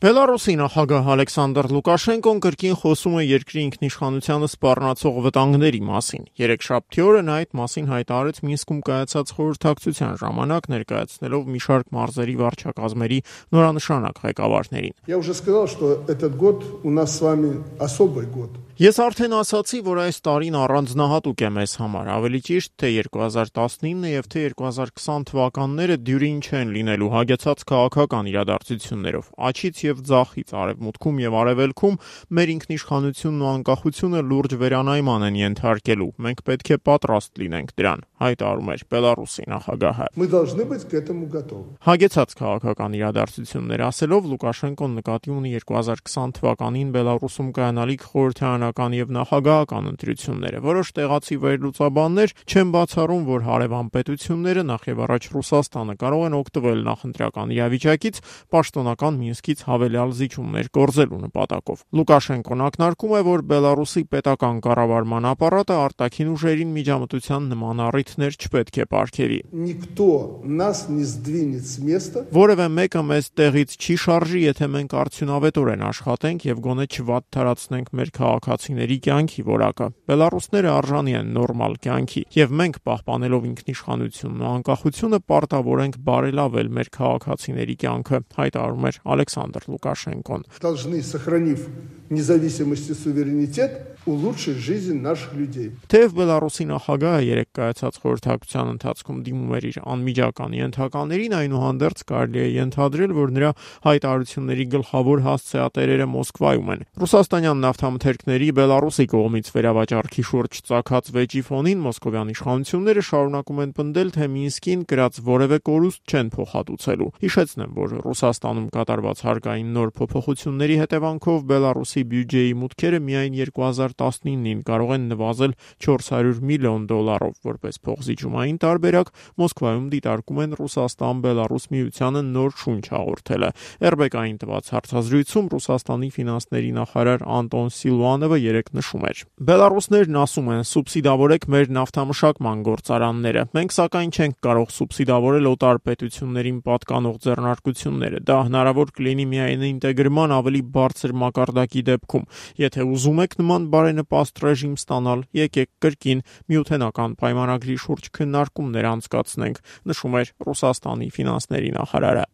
Բելարուսի նախագահ Ալեքսանդր Լուկաշենկոն կրկին խոսում է երկրի ինքնիշխանությանը սպառնացող վտանգների մասին։ Երեքշաբթի օրը նա այդ մասին հայտարարեց Մինսկում կայացած խորհրդակցության ժամանակ, ներկայացնելով մի շարք մարզերի վարչակազմերի նորանշանակ ղեկավարներին։ Я уже сказал, что этот год у нас с вами особый год. Ես արդեն ասացի, որ այս տարին առանձնահատուկ է մեզ համար, ավելի ճիշտ, թե 2019 եւ թե 2020 թվականները դյուրին չեն լինելու հագեցած քաղաքական իրադարձություններով։ Աչից եւ ձախից, արևմուտքում եւ արևելքում մեր ինքնիշխանությունն ու անկախությունը լուրջ վերանայման են ենթարկելու։ Մենք պետք է պատրաստ լինենք դրան, հայտարարում էր Բելարուսի նախագահը։ Мы должны быть к этому готовы. Հագեցած քաղաքական իրադարձություններ ասելով Լուկաշենկոն նկատի ունի 2020 թվականին Բելարուսում կայանալիք խորհրդարանական եւ նախագահական ընտրությունները։ Որոշ տեղացի վերլուծաբաններ չեն բացառում, որ հարևան պետությունները, նախ եւ առաջ Ռուսաստանը, կարող են օգտվել նախընտրական իրավիճակից պաշտոնական Մինսկից հավելյալ զիջումներ կորզելու նպատակով։ Լուկաշենկոն ակնարկում է, որ Բելարուսի պետական կառավարման ապարատը արտաքին ուժերին միջամտության նման առիթներ չպետք է պարգևի։ Никто нас не сдвинет с места. Որևէ մեկը մեզ տեղից չի շարժի, եթե մենք արդյունավետորեն աշխատենք եւ գոնե չվատթարացնենք մեր քաղաքացիների կյանքի որակը։ Բելարուսները արժանի են նորմալ կյանքի, եւ մենք պահպանելով ինքնիշխանությունն ու անկախությունը պարտավոր ենք բարելավել մեր քաղաքացիների կյանքը, հայտարարում էր Ալեքսանդր Լուկաշենկոն։ Должны, сохранив независимость и суверенитет, улучшить жизнь наших людей. Թեև Բելարուսի նախագահը երեք կայացած խորհրդակցության ընթացքում դիմում էր իր անմիջական ենթականերին, այնուհանդերձ կարելի է ենթադրել, որ նրա հայտարարությունների գլխավոր հասցեատերերը Մոսկվայում են։ Ռուսաստանյան նավթամթերքների Բելարուսի կողմից վերավաճառքի շուրջ ծագած վեճի ֆոնին մոսկովյան իշխանությունները շարունակում են պնդել, թե Մինսկին կրած որևէ կորուստ չեն փոխհատուցելու։ Հիշեցնեմ, որ Ռուսաստանում կատարված հարկային նոր փոփոխությունների հետևանքով Բելարուսի բյուջեի մուտքերը միայն 2019-ին կարող են նվազել $400 միլիոն, որպես փոխզիջումային տարբերակ Մոսկվայում դիտարկում են Ռուսաստան-Բելարուս միությանը նոր շունչ հաղորդելը։ RBK-ին տված հարցազրույցում Ռուսաստանի ֆինանսների նախարար Անտոն Սիլուանովը երեկ նշում էր. Բելարուսներն ասում են, սուբսիդավորեք մեր նավթամշակման գործարանները։ Մենք սակայն չենք կարող սուբսիդավորել օտար պետություններին պատկանող ձեռնարկությունները։ Դա հնարավոր կլինի միայն ինտեգրման ավելի բարձր մակարդակի դեպքում։ Եթե ուզում եք նման բարենպաստ ռեժիմ ստանալ, եկեք կրկին միութենական պայմանագրի շուրջ քննարկումներ անցկացնենք, նշում էր Ռուսաստանի ֆինանսների նախարարը։